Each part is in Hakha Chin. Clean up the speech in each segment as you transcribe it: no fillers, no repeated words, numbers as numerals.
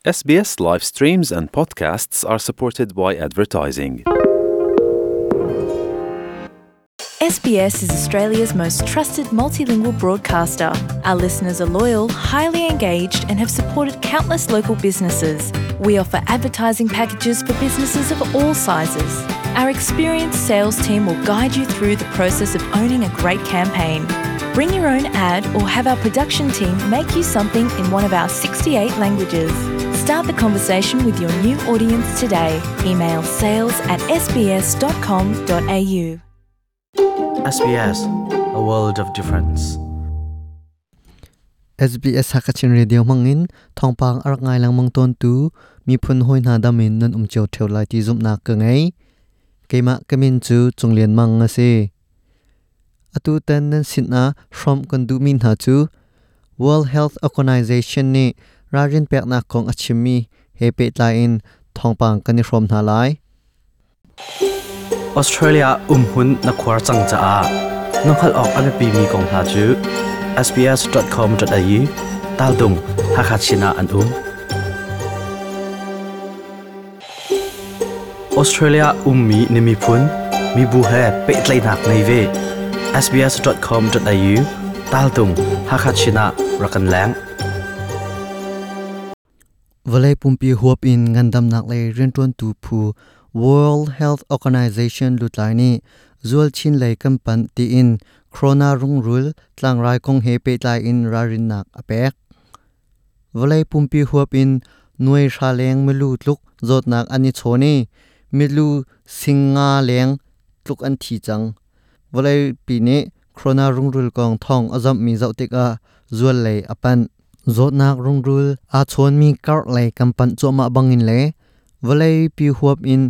SBS live streams and podcasts are supported by advertising. SBS is Australia's most trusted multilingual broadcaster. Our listeners are loyal, highly engaged, and have supported countless local businesses. We offer advertising packages for businesses of all sizes. Our experienced sales team will guide you through the process of owning a great campaign. Bring your own ad or have our production team make you something in one of our 68 languages. Start the conversation with your new audience today. Email sales at sbs.com.au. SBS, a world of difference. SBS Hakachin Radio mangin thongpang arak ngai langmang ton tu miphun hoi hna damin nan um cheu theu lai ti zum nak ka ngai keima kamin chu chunglian mang ase atu tan nan sin a from kan du min ha chu World Health Organization ni rarin pek na kong achimi he pe tlai in thongpang kan ni from na lai. Australia umhun na khuar chang cha a nokhal ok ame pi mi kong hna chu sbs.com.au tal dung hakachina an um. Australia ummi nimi phun mi bu he pe tlai nak nei ve sbs.com.au tal dung hakachina rakan lang. Valai pumpi huap in ngandam nak le rintuan tu phu World Health Organization lutlai ni zual chin lei kampan ti in corona rung rul tlang rai kong he pe tlai in rarin nak apek. Valai pumpi huap in nuai sha leng milu tluk zot nak ani choni milu singa leng tluk an thi chang. Valai pi ni corona rung rul kong thong azam mi zau tik a zual lei apan zot nak rung rul a chon mi kar lei kampan choma bangin le valai pi huap in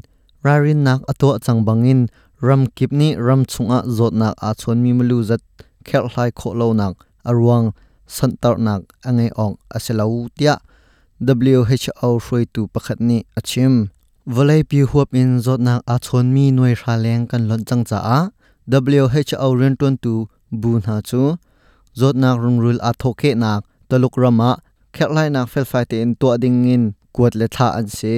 rarin nak ato chang bangin ram kip ni ram chunga zot nak a chon mi mulu zat khel hlai kho lo nak arwang santar nak angai ong aselo tia WHO hroi tu pakhat ni achim. Valai pi huap in zot nak a chon mi noi hra leng kan lon chang cha a WHO ren ton tu bu na chu zot nak rungrul a thoke nak taluk rama khel lai nak fel fai te in to ding in kuat le tha an se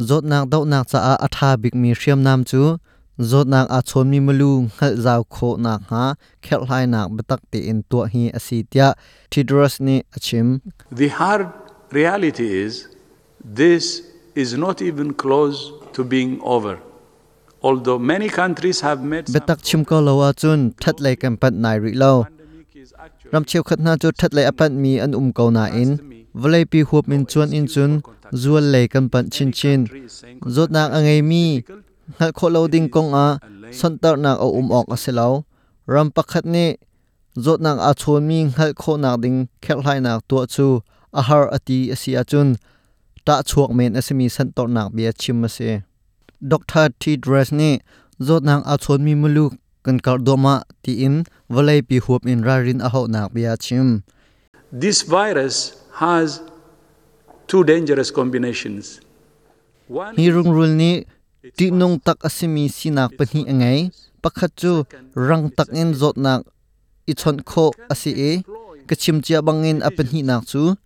zot nak dau nak cha a atha big mi hriam nam chu zot nak a chon mi mulu ngal zaw kho nak ha khel lai nak batak te in to hi asi tia Tedros ni achim. The hard reality is this is not even close to being over. Although many countries have made some betak chim ko lo a chun that lei kam pat nai ri lo. Pandemic is actually ram cheu khat na chu that lei apat mi an um ko na in valai pi hup min chuan in chun zual lei kan pan chin chin zot nak angai mi ngal kho lo ding kong a santar nak a um ok aselo ram pakhat ni zot nak a chon mi ngal kho nak ding khel hlai nak to chu a har ati asia chun ta chuak men asimi santor nak bia chim ase. Dr. Tedros ni zot nak a chon mi mulu kan kar doma ti in valai pi hup in rarin a ho nak bia chim. This virus has two dangerous combinations. One hi rung rul ni ti nung tak asimi sinak pahni angai pakhat chu rang tak in zot nak i chon kho asi e kachim chia bangin apahni nak chu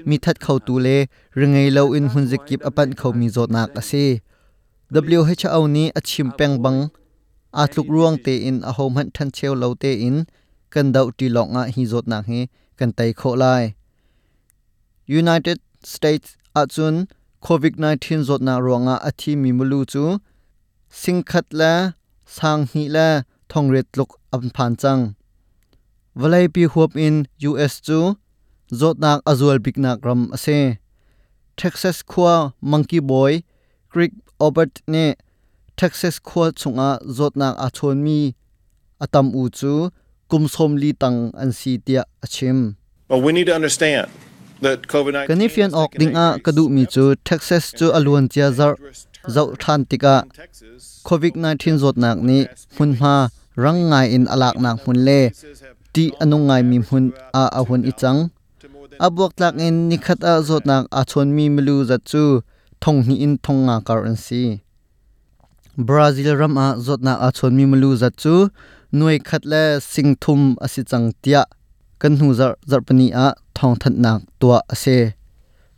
mi that khau tu le ringai lo in hunzikip apan khau mi zot nak ase. WHO ni achim peng bang atluk ruang te in a hom han than cheu lo te in kan dau ti lok nga hi zot nak hi kan tai kho lai. United States achun COVID-19 zot na ruanga athi mi mulu chu singkhat la sang hi la thongret luk am phan chang. Valai pi huap in US chu zot nak azual bik nak ram ase. Texas khwa Monkey Boy Creek Obert ne Texas khwa chunga zot nak a chon mi atam u chu kumsom li tang an si tia achim. But we need to understand that COVID-19 Kanifian ok ding a kadu mi chu Texas chu aluan chia zar zau than tika COVID-19 zot nak ni hunma rang ngai in alak nak hun le ti anung ngai mi hun a ahun ichang abuak tlak in nikhat a zot nak a chon mi mlu za chu thong hi in thong nga kar an si. Brazil ram a zot nak a chon mi mlu za chu nuai khat le sing thum asi chang tia kan hu zar zarpani a thong that nak tua ase.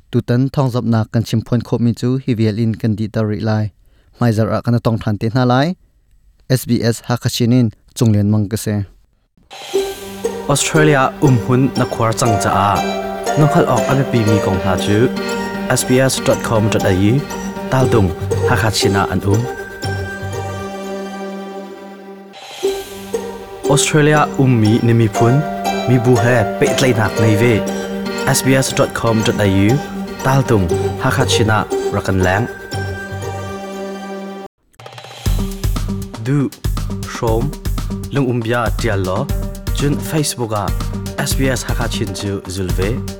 Tutan thawngzamhnak kan chimphuan khawhmi cu hi vial in kan dihter rih lai. Hmaizarh ah kan i tong ṭhan te hna lai. SBS Hakha in Cunglian Mang ka si. Australia umhun na khuar cang caah na hngalh awk a biapimi kong hna cu sbs.com.au taldung Hakha Chin ah an um. Australia ummi na miphun mibu he pehtlaihnak ngei ve. sbs.com.au taltung Hakha Chin ah rak kan leng. Du hrawm lungumbia tial law cun Facebook ah SBS Hakha Chin cu zul ve.